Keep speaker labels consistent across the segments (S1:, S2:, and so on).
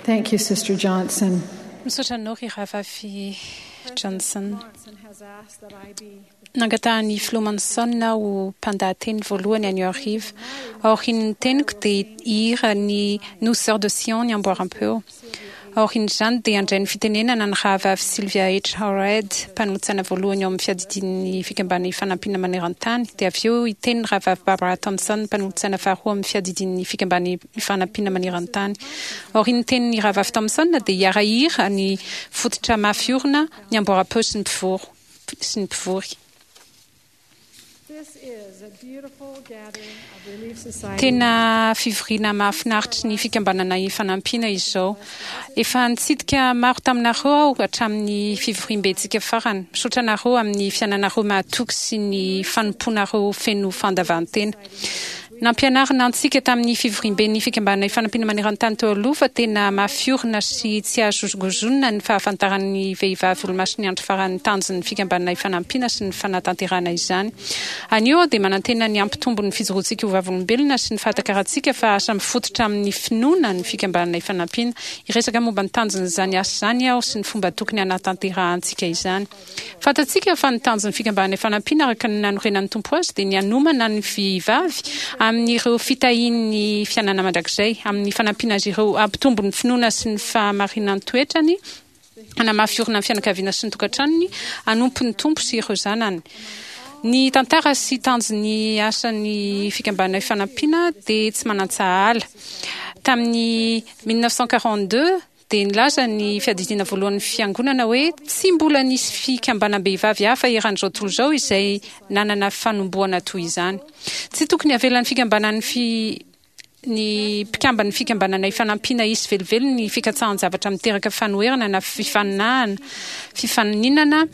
S1: Thank you, Sister Johnson.
S2: Misaotra anao ry Rahavavy Johnson. Nangatahan'ny Filoha Monson aho ho mpandahateny voalohany anio hariva. Aorian'ny teniko dia hihira ny Nous Sœurs de Sion ny amboaram-peo. Aorian'izany dia handray ny fitenenana ny Rahavavy Sylvia H. Howard, mpanolotsaina voalohany ao amin'ny Fiadidian'ny Fikambanana Ifanampiana Maneran-tany, dia avy eo hiteny ny Rahavavy Barbara Thompson, mpanolotsaina faharoa ao amin'ny Fiadidian'ny Fikambanana Ifanampiana Maneran-tany. Aorian'ny tenin'ny Rahavavy Thompson dia hiara-hira ny fototra mafy orina ny amboaram-peo sy ny mpivory. Tena fivoriana mahafinaritry ny Fikambanana Ifanampiana izao. Efa nitsidika maro taminareo aho hatramin'ny fivoriambentsika farany. Misaotra anareo amin'ny fiainanareo mahatoky sy ny fanompoanareo feno fandavan-tena. Nampianarina antsika tamin'ny fivoriamben'ny Fikambanana Ifanampiana Maneran-tany teo aloha fa tena mafy orina sy tsy azo hozongozonina ny fahafantaran'ny vehivavy Olomasin'ny Andro Farany ny tanjon'ny Fikambanana Ifanampiana sy ny fanatanterahana izany. Anio aho dia manantena ny hampitombo ny fijoroantsika ho vavolombelona sy ny fahatakarantsika fa asa mifototra amin'ny finoana ny Fikambanana Ifanampiana. Hiresaka momba ny tanjon'izany asa izany aho sy ny fomba tokony hanatanterahantsika izany. Fantatsika fa ny tanjon'ny Fikambanana Ifanampiana araka ny nanorenan'ny Tompo azy dia ny hanomana ny vehivavy amin'ireo fitahian'ny fiainana mandrakizay, amin'ny fanampiana azy ireo hampitombo ny finoana sy ny fahamarinan-toetrany, hanamafy orina ny fianakaviana sy ny tokantranony, hanompo ny Tompo sy ireo zanany. Ny tantara sy tanjon'ny asan'ny Fikambanana Ifanampiana dia tsy manan-tsahala. Tamin'ny 1942, dia nilaza ny Fiadidiana Voalohan'ny Fiangonana hoe tsy mbola nisy fikambanam-behivavy hafa eran'izao tontolo izao izay nanana fanombohana toy izany. Tsy tokony havelan'ny fikambanan'ny fi ny mpikamban'ny Fikambanana Ifanampiana hisy velively ny fikatsahan-javatra miteraka fanoherana na fifaninahana fifaninana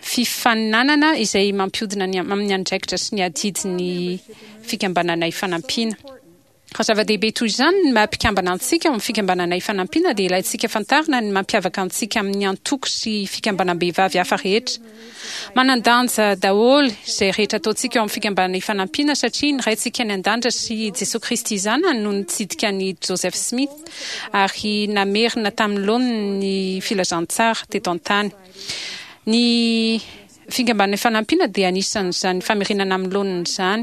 S2: fifaninanana izay mampihodina ny amin'ny andraikitra sy ny adidy ny Fikambanana Ifanampiana. Raha zava-dehibe toy izany ny maha mpikambana antsika ao amin'ny Fikambanana Ifanampiana dia ilaintsika fantarina ny mampiavaka antsika amin'ny antoko sy fikambanam-behivavy hafa rehetra. Manan-danja daholo izay rehetra ataontsika ao amin'ny Fikambanana Ifanampiana satria ny Raintsika any An-danitra sy Jesoa Kristy Zanany no nitsidika an'i Joseph Smith ary namerina tamin'ny laoniny ny filazantsara teto an-tany. Ny Fikambanana Ifanampiana dia anisan'izany famerenana amin'ny laoniny izany.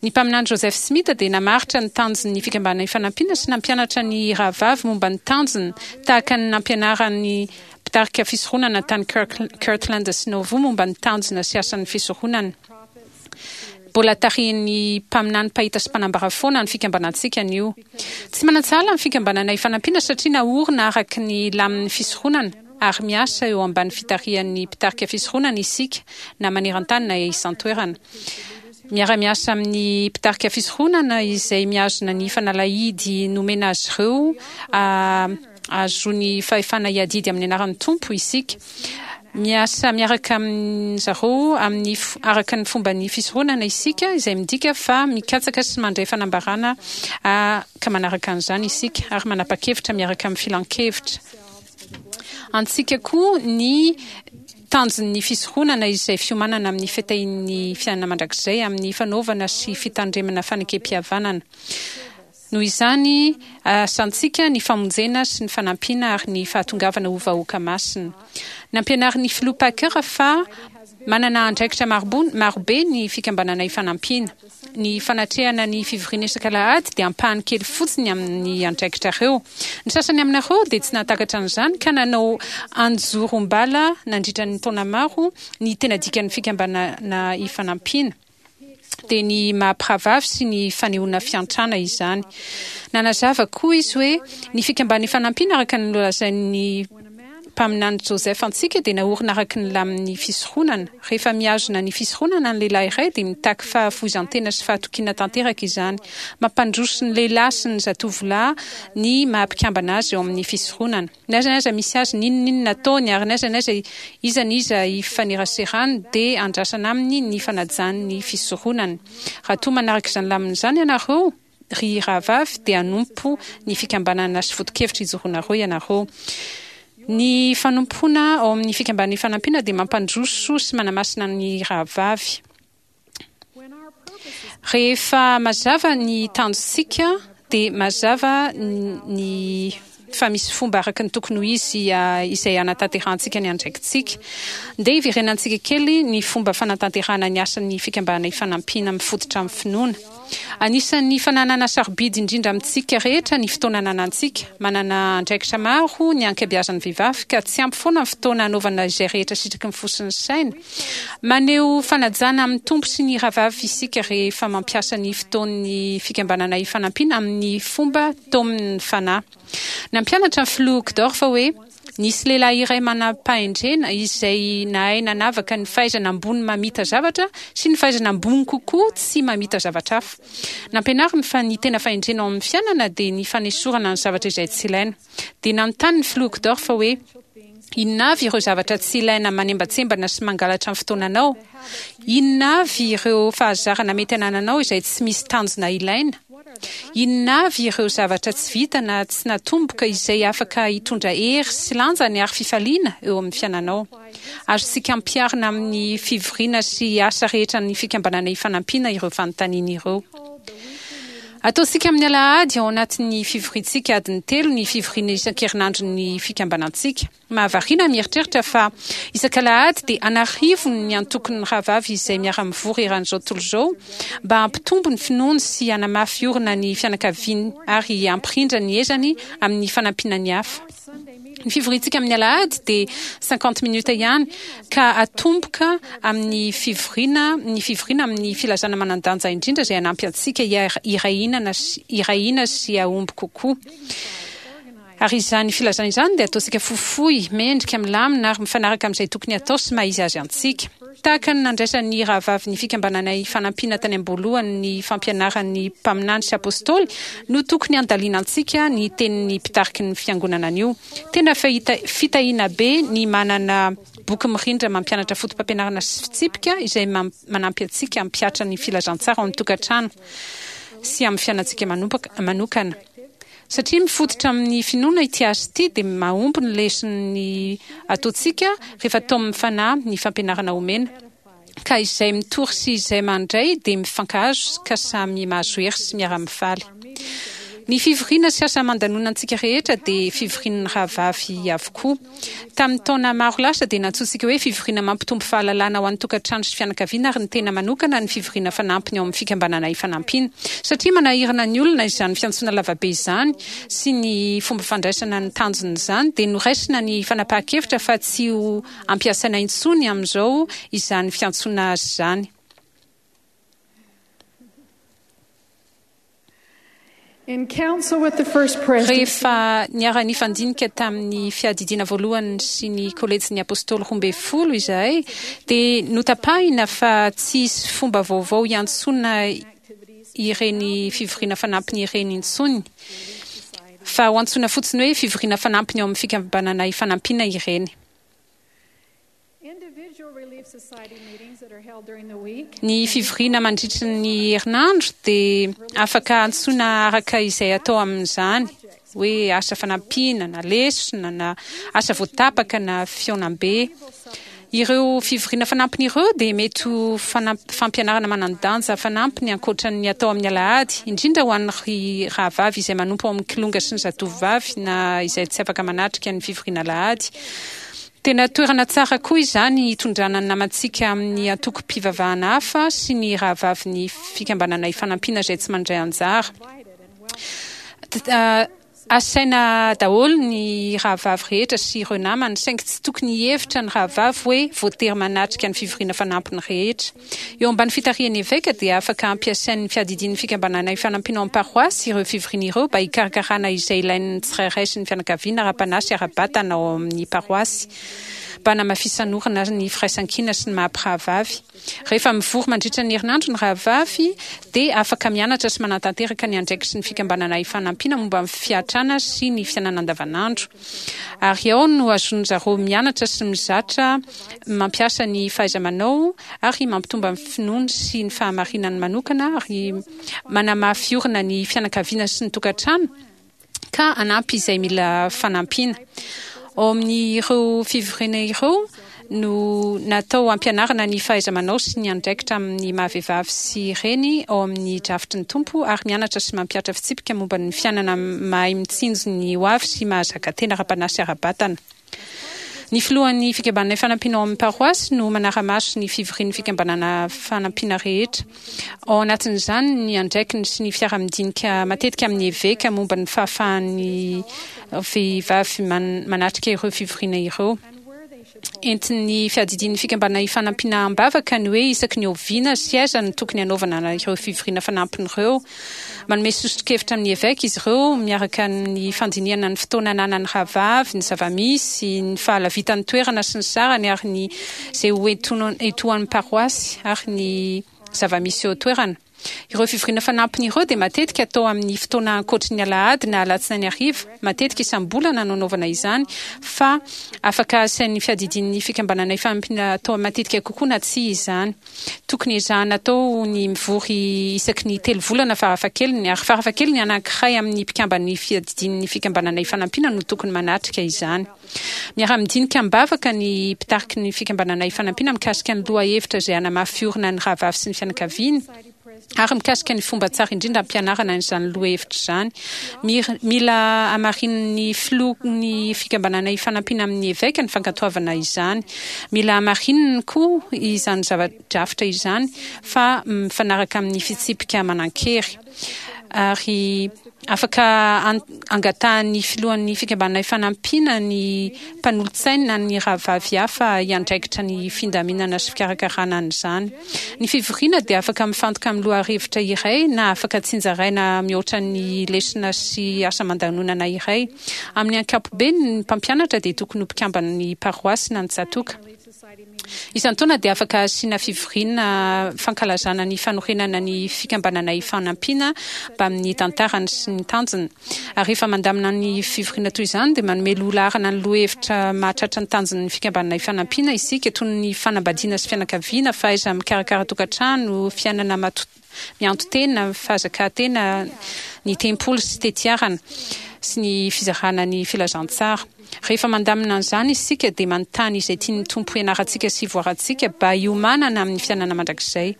S2: Ny Mpaminany Joseph Smith dia namaritra ny tanjon'ny Fikambanana Ifanampiana sy nampianatra ny rahavavy momba ny tanjony tahaka ny nampianaran'ny mpitarika fisoronana tany Kirtland sy Nauvoo momba ny tanjona sy asan'ny fisoronana. Mbola tarihin'ny mpaminany mpahita sy mpanambara foana ny fikambanantsika anio. Tsy manan-tsahala ny Fikambanana Ifanampiana satria naorina araka ny lamin'ny fisoronana. ary miasa eo ambany fitarihan'ny mpitarika fisoronana isika na maneran-tany na isan-toerana. Miara-miasa amin'ny mpitarika fisoronana izay mihazona ny fanalahidy nomena azy ireo ahazoany fahefana hiadidy amin'ny anaran'ny Tompo isika. Miasa miaraka amin-dry zareo amin'ny araka ny fomban'ny fisoronana isika, izay midika fa mikatsaka sy mandray fanambarana ka manaraka an'izany isika ary manapa-kevitra miaraka amin'ny filankevitra. Antsika koa ny tanjon'ny fisoronana izay fiomanana amin'ny fitahian'ny fiainana mandrakizay amin'ny fanaovana sy fitandremana fanekempihavanana. Noho izany, asantsika ny famonjena sy ny fanampiana ary ny fahatongavana ho vahoaka masina. Nampianarin'ny Filoha Packer fa manana andraikitra marobe ny Fikambanana Ifanampiana. Ny fanatrehana ny fivoriana isak'alahady dia ampahany kely fotsiny amin'ny andraikitrareo. Ny sasany aminareo dia tsy nahatakatra an'izany ka nanao anjorom-bala nandritra ny taona maro ny tena dikan'ny fikambanana ifanampiana, dia ny maha-mpirahavavy sy ny fanehoana fiantrana izany. Nanazava koa izy hoe ny fikambanana ifanampiana araka ny nolazain'ny Mpaminany Joseph antsika dia naorina araka ny lamin'ny fisoronana. Rehefa mihazona ny fisoronana ny lehilahy iray dia mitaky fahafoizan-tena sy fahatokiana tanteraka izany. Mampandroso ny lehilahy sy ny zatovolahy ny maha-mpikambana azy eo amin'ny fisoronana. N'aiza n'aiza misy azy, n'inon'inona ataony ary n'aiza n'aiza iza n'iza ifaneraserany dia andrasana aminy ny fanajany ny fisoronany. Raha toa manaraka izany lamina izany ianareo, Ry rahavavy, dia hanompo ny fikambanana sy foto-kevitra ijoroanareo ianareo. Ny fanompoana ao amin'ny Fikambanana Ifanampiana dia mampandroso sy manamasina ny rahavavy. Rehefa mazava ny tanjontsika, dia mazava ny. fa misy fomba araka ny tokony ho izy izay hanatanterahantsika ny andraikitsika. Ndeha hiverenantsika kely ny fomba fanatanterahana ny asan'ny Fikambanana Ifanampiana mifototra amin'ny finoana. Anisan'ny fananana sarobidy indrindra amintsika rehetra ny fotoana ananantsika. Manana andraikitra maro ny ankabeazan'ny vehivavy ka tsy ampy foana ny fotoana hanaovana izay rehetra sitraky ny fo sy ny saina. Maneho fanajana amin'ny Tompo sy ny rahavavy isika rehefa mampiasa ny fotoan'ny Fikambanana Ifanampiana amin'ny fomba taomin'ny Fanahy. Nampianatra ny Filoha Uchtdorf hoe, Nisy lehilahy iray manam-pahendrena izay nahay nanavaka ny fahaizana ambony mamita zavatra sy ny fahaizana ambony kokoa tsy mamita zavatra hafa. Nampianariny fa ny tena fahendrena ao amin'ny fiainana dia ny fanesorana ny zavatra izay tsy ilaina. Dia nanontany ny Filoha Uchtdorf hoe, Inona avy ireo zavatra tsy ilaina manembantsembana sy mangalatra ny fotoananao? Inona avy ireo fahazarana mety anananao izay tsy misy tanjona ilaina? Inona avy ireo zavatra tsy vita na tsy natomboka izay afaka hitondra hery sy lanjany ary fifaliana eo amin'ny fiainanao? Azontsika ampiharina amin'ny fivoriana sy asa rehetra an'ny Fikambanana Ifanampiana ireo fanontaniana ireo. Ataontsika amin'ny alahady ao anatin'ny fivoriantsika adiny telo ny fivoriana isan-kerinandron'ny fikambanantsika. Mahavariana ny mieritreritra fa isak'alahady dia an'arivony ny antokon'ny rahavavy izay miara-mivory eran'izao tontolo izao mba hampitombo ny finoany sy hanamafy orina ny fianakaviany ary hampirindra ny ezany amin'ny fanampiana ny hafa. Ny fivoriantsika amin'ny alahady dia cinquante minutes ihany ka atomboka amin'ny fivoriana ny fivoriana amin'ny filazana manan-danja indrindra izay hanampy antsika hiray hina sy hahomby kokoa. Ary izany filazana izany dia ataontsika fohifohy, mendrika, milamina ary mifanaraka amin'izay tokony hatao sy maha izy azy antsika. Tahaka ny nandraisan'ny rahavavin'ny Fikambananay Fanampiana tany am-boalohany ny fampianaran'ny mpaminany sy apostoly no tokony handalinantsika ny tenin'ny mpitariky ny Fiangonana anio. Tena fitahiana be ny manana boky mirindra mampianatra fotopampianarana sy fitsipika izay manampy antsika hampihatra ny filazantsara ao amin'ny tokantrano sy amin'ny fiainantsika manokana. Satria mifototra amin'ny finoana ity asa ity dia mahomby ny leson'ny ataontsika rehefa taomin'ny fanahy ny fampianarana omena. Ka izay mitory sy izay mandray dia mifankahazo ka samy mahazo hery sy miara-mifaly. Ny fivoriana sy asa aman-danonantsika rehetra dia fivorian'ny rahavavy avokoa. Tamin'ny taona maro lasa dia nantsointsika hoe fivoriana mampitombo fahalalana ho an'ny tokantrano sy fianakaviana ary ny tena manokana ny fivoriana fanampiny ao amin'ny Fikambanana Ifanampiana. Satria manahirana ny olona izany fiantsoana lavabe izany sy ny fomba fandraisana ny tanjon'izany dia noraisina ny fanapahan-kevitra fa tsy ho ampiasaina intsony amin'izao izany fiantsoana azy izany. Rehefa niara-nifandinika tamin'ny Fiadidiana Voalohany sy ny Kolejin'ny Apôstôly Roambinifolo izahay dia notapahina fa tsy hisy fomba vaovao hiantsoana ireny fivoriana fanampiny ireny intsony, fa ho antsoina fotsiny hoe fivoriana fanampiny ao amin'ny Fikambanana Ifanampiana ireny. Ny fivoriana mandritry ny herinandro dia afaka antsoina araka izay atao amin'izany, hoe asa fanampiana na lesona na asa voatapaka na fihaonambe. Ireo fivoriana fanampiny ireo dia mety ho fampianarana manan-danja fanampiny ankoatra ny atao amin'ny alahady, indrindra ho an'ny rahavavy izay manompo ao amin'ny kilonga sy ny zatovovavy na izay tsy afaka manatrika ny fivoriana alahady. Tena toerana tsara koa izany hitondrana ny namantsika amin'ny antokom-pivavahana hafa sy ny rahavavin'ny Fikambanana Ifanampiana izay tsy mandray anjara. Asaina daholo ny rahavavy rehetra sy ireo namany, saingy tsy tokony hihevitra ny rahavavy hoe voatery manatrika ny fivoriana fanampiny rehetra. Eo ambany fitarihan'ny eveka dia afaka ampiasain'ny fiadidian'ny Fikambanana Ifanampiana ao amin'ny paroasy ireo fivoriana ireo mba hikarakarana izay ilain'ny tsirairay sy ny fianakaviana ara-panahy sy ara-batana ao amin'ny paroasy mba hanamafisan'orina ny firaisankina sy ny maha-mpirahavavy. Rehefa mivory mandritra ny herinandro ny rahavavy dia afaka mianatra sy manatanteraka ny andraikitry ny Fikambanana Ifanampiana momba ny fiatrana sy ny fiainana andavanandro. Ary ao no azon-jareo mianatra sy mizatra mampiasa ny fahaiza-manao ary mampitomba ny finoany sy ny fahamarinany manokana ary manamafy orina ny fianakaviana sy ny tokantrano ka hanampy izay mila fanampiana. Ao amin'ireo fivoriana ireo, No natao hampianarana ny fahaiza-manao sy ny andraikitra amin'ny maha-vehivavy sy reny ao amin'ny drafitry ny Tompo ary mianatra sy mampihatra fitsipika momba ny fiainana mahay mitsinjo ny hoavy sy mahazaka tena ara-panahy sy ara-batana. Ny filohan'ny Fikambanana Ifanampiana ao amin'ny paroasy no manara-maso ny fivorian'ny Fikambanana Fanampiana rehetra. Ao anatin'izany ny andraikiny sy ny fiaraha-midinika matetika amin'ny eveka momba ny fahafahan'ny vehivavy manatrika ireo fivoriana ireo. Entin'ny fiadidian'ny Fikambanana Ifanampiana am-bavaka ny hoe isaky ny oviana sy aiza no tokony hanaovana ireo fivoriana fanampiny ireo. Manome soso-kevitra amin'ny eveka izy ireo miaraka amin'ny fandinihana ny fotoana ananan'ny rahavavy, ny zava-misy, ny fahalavitan'ny toerana sy ny sarany ary ny izay ho etoan'ny paroasy ary ny zava-misy eo an-toerana. Ireo fivoriana fanampiny ireo dia matetika atao amin'ny fotoana ankoatry ny alahady na alatsinainy hariva, matetika isam-bolana no anaovana izany, fa afaka asain'ny fiadidian'ny fikambanana ifanampiana atao matetika kokoa na tsia izany. Tokony ezahana atao ny mivory isaky ny telo volana farafahakeliny, ary farafahakeliny anankiray amin'ny mpikamban'ny fiadidian'ny fikambanana ifanampiana no tokony manatrika izany. Miara-midinika am-bavaka ny mpitariky ny Fikambanana Ifanampiana mikasika ny lohahevitra izay hanamafy orina ny rahavavy sy ny fianakaviany ary mikasika ny fomba tsara indrindra hampianarana an'izany lohahevitra izany. Mila hamarinin'ny filohan'ny Fikambanana Ifanampiana amin'ny eveka ny fankatoavana izany. Mila hamarininy koa izany zava-drafitra izany fa mifanaraka amin'ny fitsipika manan-kery ary Afaka angatahan'ny filohan'ny Fikambanana Ifanampiana ny mpanolotsainy na ny rahavavy hafa hiandraikitra ny findaminana sy fikarakarana an'izany. Ny fivoriana dia afaka mifantoka amin'ny lohahevitra iray na afaka tsinjaraina mihoatra ny lesona sy asa aman-danonana iray. Amin'ny ankapobeny, ny mpampianatra dia tokony ho mpikamban'ny paroasy na ny tsatòka. Isan-taona dia afaka asiana fivoriana fankalazana ny fanorenana ny Fikambanana Ifanampiana mbamin'ny tantarany sy ny tanjony. Ary rehefa mandamina ny fivoriana toy izany dia manome loha laharana ny lohahevitra mahatratra ny tanjon'ny Fikambanana Ifanampiana isika, toy ny fanambadiana sy fianakaviana, fahaiza-mikarakara tokantrano, fiainana mianto-tena, fahazakàn-tena, ny tempoly sy tetiarana, sy ny fizarana ny filazantsara. Rehefa mandamina an'izany isika dia manontany izay tian'ny Tompo hianarantsika sy hivoarantsika ba hiomanana amin'ny fiainana mandrakizay.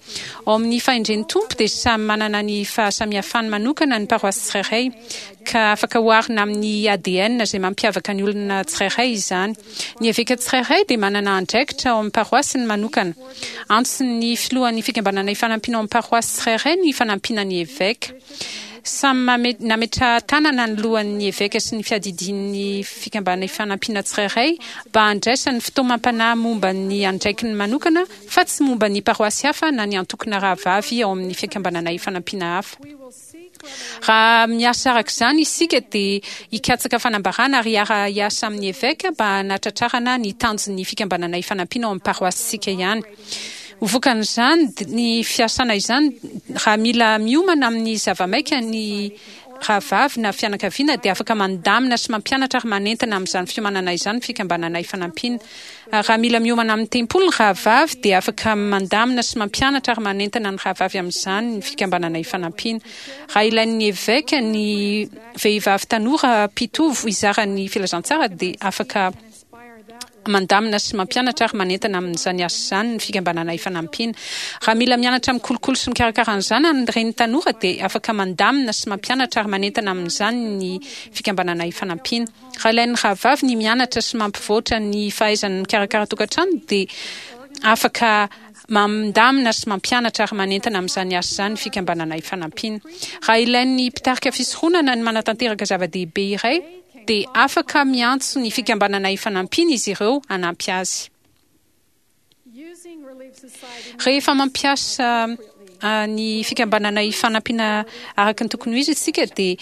S2: Ao amin'ny fahendren'ny Tompo dia samy manana ny fahasamihafany manokana ny paroasy tsirairay, ka afaka oharina amin'ny ADN izay mampiavaka ny olona tsirairay izany. Ny eveka tsirairay dia manana andraikitra ao amin'ny paroasiny manokana. Antson'ny filohan'ny Fikambanana Ifanampiana ao amin'ny paroasy tsirairay ny fanampiana ny eveka. Samy nametraha-tanana ny lohan'ny eveka sy ny fiadidian'ny Fikambanana Ifanampiana tsirairay mba handraisany fitaomam-panahy momba ny andraikiny manokana fa tsy momba ny paroasy hafa na ny antokona rahavavy ao amin'ny Fikambanana Ifanampiana hafa. Raha miasa araka izany isika dia hikatsaka fanambarana ary hiara-hiasa amin'ny eveka mba hanatratrarana ny tanjon'ny Fikambanana Ifanampiana ao amin'ny paroasintsika ihany. Ho vokan'izany, ny fiasana izany, raha mila miomana amin'ny zava-maika ny rahavavy na fianakaviana dia afaka mandamina sy mampianatra ary manentana amin'izany fiomanana izany ny Fikambanana Ifanampiana. Ary raha mila miomana amin'ny tempoly ny rahavavy dia afaka mandamina sy mampianatra ary manentana ny rahavavy amin'izany ny Fikambanana Ifanampiana. Raha ilain'ny eveka ny vehivavy tanora mpitovo hizara ny filazantsara dia afaka mandamina sy mampianatra ary manentana amin'izany asa izany ny Fikambanana Ifanampiana. Raha mila mianatra mikolokolo sy mikarakara ny zanany ny reny tanora dia afaka mandamina sy mampianatra ary manentana amin'izany ny Fikambanana Ifanampiana. Raha ilain'ny rahavavy ny mianatra sy mampivoatra ny fahaizany mikarakara tokantrano dia afaka mandamina sy mampianatra ary manentana amin'izany asa izany ny Fikambanana Ifanampiana. Raha ilain'ny mpitarika fisoronana ny manatanteraka zava-dehibe iray dia afaka miantso ny Fikambanana Ifanampiana izy ireo hanampy azy. Rehefa mampiasa ny Fikambanana Ifanampiana araka ny tokony ho izy isika dia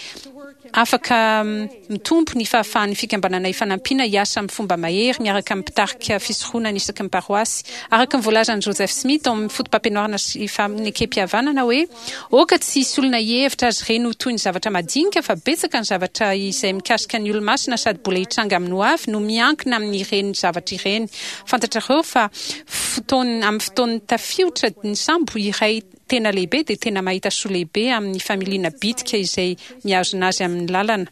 S2: afaka mitombo ny fahafahan'ny Fikambanana Ifanampiana hiasa amin'ny fomba mahery miaraka amin'ny mpitarika fisoronana isaky ny paroasy. Araka ny voalazan'i Joseph Smith ao amin'ny Fotopampianarana sy Fanekempihavanana hoe, Aoka tsy hisy olona hihevitra azy ireny ho toy ny zavatra madinika fa betsaka ny zavatra izay mikasika ny Olomasina sady mbola hitranga amin'ny hoavy no miankina amin'ireny zavatra ireny. Fantatrareo fa fotoan amin'ny fotoan'ny tafiotra ny sambo iray tena lehibe dia tena mahita soa lehibe amin'ny familiana bitika izay mihazona azy amin'ny lalana.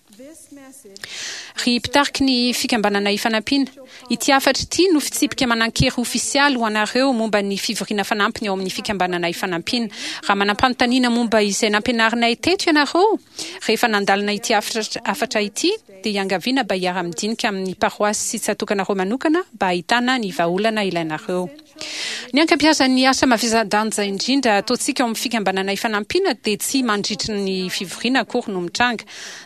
S2: Ry mpitariky ny Fikambanana Ifanampiana, ity hafatra ity no fitsipika manan-kery ofisialy ho anareo momba ny fivoriana fanampiny ao amin'ny Fikambanana Ifanampiana. Raha manam-panontaniana momba izay nampianarinay teto ianareo rehefa nandalina ity hafatra ity, dia iangaviana mba hiara-midinika amin'ny paroasy sy tsatokanareo manokana mba hahitana ny vahaolana ilainareo. Ny ankabeazan'ny asa mavesa-danja indrindra ataontsika ao amin'ny Fikambanana Ifanampiana dia tsy mandritry ny fivoriana akory no mitranga.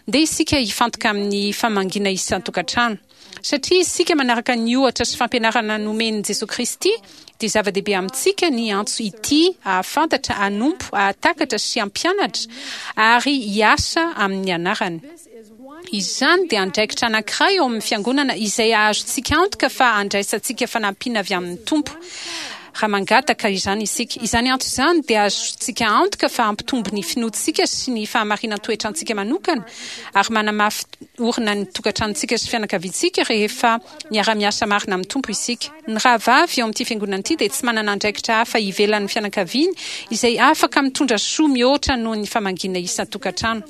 S2: Ndeha isika hifantoka amin'ny famangiana isan-tokantrano. Satria isika manaraka ny ohatra sy fampianarana nomen'i Jesoa Kristy, dia zava-dehibe amintsika ny antso hitia, hahafantatra, hanompo, hahatakatra sy hampianatra ary hiasa amin'ny anarany. Izany dia andraikitra anankiray ao amin'ny Fiangonana izay ahazotsika antoka fa andraisantsika fanampiana avy amin'ny Tompo raha mangataka izany isika. Izany antso izany dia ahazotsika antoka fa hampitombo ny finoantsika sy ny fahamarinan-toetrantsika manokana ary manamafy orina ny tokantranontsika sy fianakaviantsika rehefa miara-miasa marina amin'ny Tompo isika. Ny rahavavy ao amin'ity Fiangonana ity dia tsy manana andraikitra hafa ivelan'ny fianakaviany izay afaka mitondra soa mihoatra noho ny famangiana isan-tokantrano.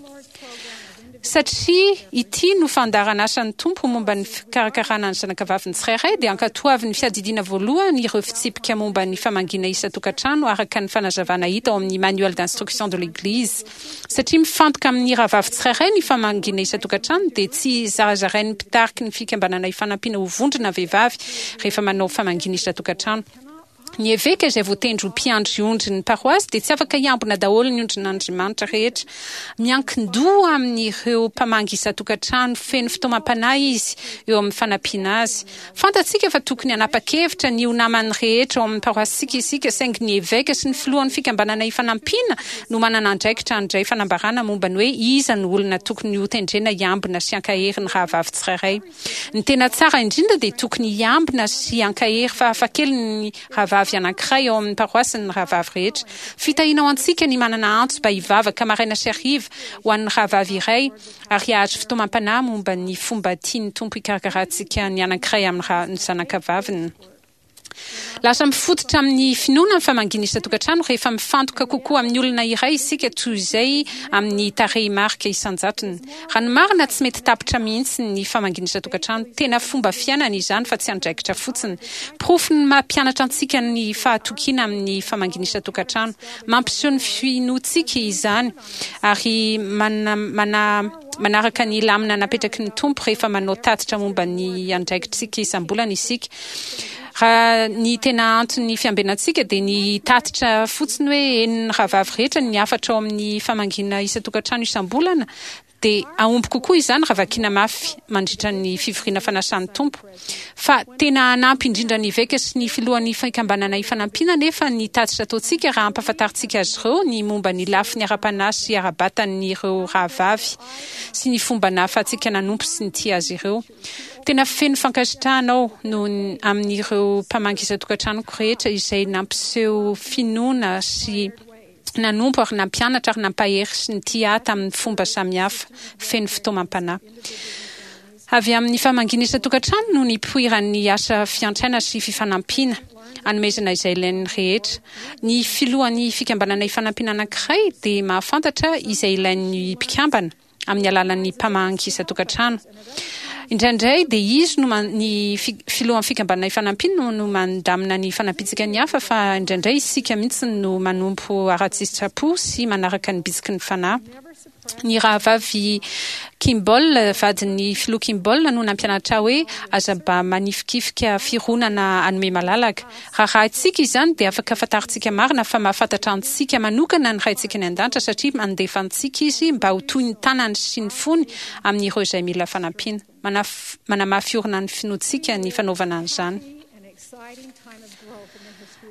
S2: Satria ity no fandaharan'asan'ny Tompo momba ny fikarakarana ny zanakavaviny tsirairay, dia ankatoavin'ny Fiadidiana Voalohany ireo fitsipika momba ny famangiana isan-tokantrano araka ny fanazavana hita ao amin'ny Manuel d'instruction de l'Église. Satria mifantoka amin'ny rahavavy tsirairay ny famangiana isan-tokantrano, dia tsy zarazarain'ny mpitariky ny Fikambanana Ifanampiana ho vondrona vehivavy rehefa manao famangiana isan-tokantrano. Ny eveka izay voatendry ho mpiandry ondry ny paroasy dia tsy afaka hiambina daholo ny ondrin'Andriamanitra rehetra. Miankin-doha amin'ireo mpamangy isan-tokantrano feno fitaomam-panahy izy eo amin'ny fanampiana azy. Fantatsika fa tokony hanapa-kevitra ny ho naman'ny rehetra ao amin'ny paroasintsika isika, saingy ny eveka sy ny filohan'ny Fikambanana Ifanampiana no manana andraikitra handray fanambarana momba ny hoe iza no olona tokony hotendrena hiambina sy hankahery ny rahavavy tsirairay. Ny tena tsara indrindra dia tokony hiambina sy hankahery fahafahakeliny ny rahavavy anankiray ao amin'ny paroasiny ny rahavavy rehetra. Fitahiana ho antsika ny manana antso mba hivavaka maraina sy hariva ho an'ny rahavavy iray ary hahazo fitaomam-panahy momba ny fomba tian'ny Tompo hikarakarantsika ny anankiray amin'ny zanakavaviny. Lasa mifototra amin'ny finoana ny famangiana isan-tokantrano rehefa mifantoka kokoa amin'ny olona iray isika toy izay amin'ny tarehimarika isan-jatony. Raha ny marina, tsy mety tapitra mihitsy ny famangiana isan-tokantrano. Tena fomba fiainana izany fa tsy andraikitra fotsiny. Porofon'ny maha mpianatra antsika ny fahatokiana amin'ny famangiana isan-tokantrano. Mampiseho ny finoantsika izany ary manaraka ny lamina napetraky ny Tompo rehefa manao tatitra momba ny andraikitrika isam-bolana isika. Raha ny tena anton'ny fiambenantsika dia ny hitatitra fotsiny hoe henon'ny rahavavy rehetra ny hafatra ao amin'ny famangiana isan-tokantrano isam-bolana dia hahomby kokoa izany raha vakiana mafy mandritra ny fivoriana fanasan'ny Tompo. Fa tena hanampy indrindra ny eveka sy ny filohan'ny Fikambanana Ifanampiana anefa ny tatitra ataontsika raha ampahafantarintsika azy ireo ny momba ny lafiny ara-panahy sy ara-batan'ireo rahavavy sy ny fomba nahafahantsika nanompo sy nitia azy ireo. Tena feno fankasitrahana aho noho ny amin'ireo mpamangy isan-tokantranoko rehetra izay nampiseho finoana sy nanompo ary nampianatra ary nampahery sy nitia ahy tamin'ny fomba samihafa feno fitaomam-panahy. Avy amin'ny famangiana isan-tokantrano no nipoiran'ny asa fiantraina sy fifanampiana, anomezana izay ilain'ny rehetra. Ny filohan'ny fikambanana ifanampiana anankiray dia mahafantatra izay ilain'ny mpikambana, amin'ny alalan'ny mpamangy isan-tokantrano. Indraindray dia izy no ny filohan'ny fikambanana ifanampiana no mandamina ny fanampiantsika ny hafa fa indraindray isika mihitsy no manompo ara-tsitrapo sy manaraka ny bitsiky ny fanahy. Ny rahavavy Kimball, vadin'ny filoha Kimball no nampianatra ahy hoe aza mba manifikifika fironana hanome malalaka. Raha rahintsika izany dia afaka fantarintsika marina fa mahafantatra antsika manokana ny Raintsika any An-danitra satria mandefa antsika Izy mba ho toy ny tanany sy ny fony amin'ireo izay mila fanampiana. Manamafy orina ny finoantsika ny fanaovana an'izany.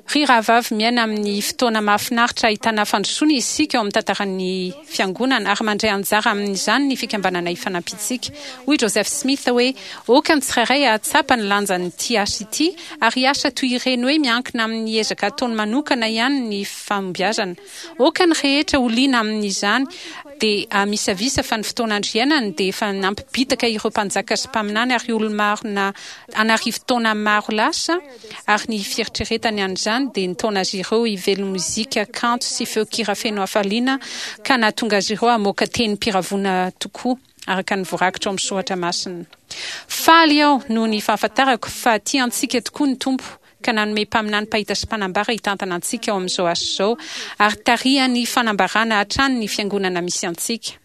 S2: Ry rahavavy, miaina amin'ny fotoana mahafinaritra ahitana fandrosoana isika ao amin'ny tantaran'ny Fiangonana ary mandray anjara amin'izany ny Fikambanana Ifanampiantsika. Hoy Joseph Smith hoe, Aoka ny tsirairay hahatsapa ny lanjan'ity asa ity ary hiasa toy ireny hoe miankina amin'ny ezaka ataony manokana ihany ny fahombiazana. Aoka ny rehetra ho liana amin'izany dia hamisavisa fa ny fotoan'andro iainany dia efa nampibitaka ireo mpanjaka sy mpaminany ary olo-marina an'arivo taona maro lasa ary ny fieritreretany an'izany dia nitaona azy ireo hively mozika kanto sy feon-kira feno hafaliana ka nahatonga azy ireo hamoaka tenim-piravoana tokoa. araka ny voarakitra ao amin'ny soratra masina. Faly aho noho ny fahafantarako fa tia antsika tokoa ny Tompo ka nanome mpaminany mpahita sy mpanambara hitantana antsika ao amin'izao asa izao ary tarihany fanambarana hatrany ny fiangonana misy antsika.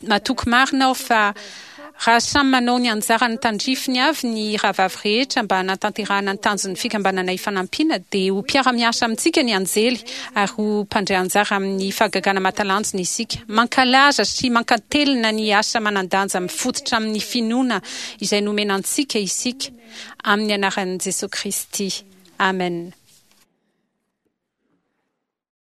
S2: Matoky marina aho fa raha samy manao ny anjarany tandrifiny avy ny rahavavy rehetra mba hanatanterahana ny tanjon'ny Fikambanana Ifanampiana dia ho mpiara-miasa amintsika ny anjely ary ho mpandray anjara amin'ny fahagagana mahatalanjona isika. Mankalaza sy mankatelina ny asa manan-danja mifototra amin'ny finoana izay nomena antsika isika amin'ny anaran'i Jesoa Kristy. Amen.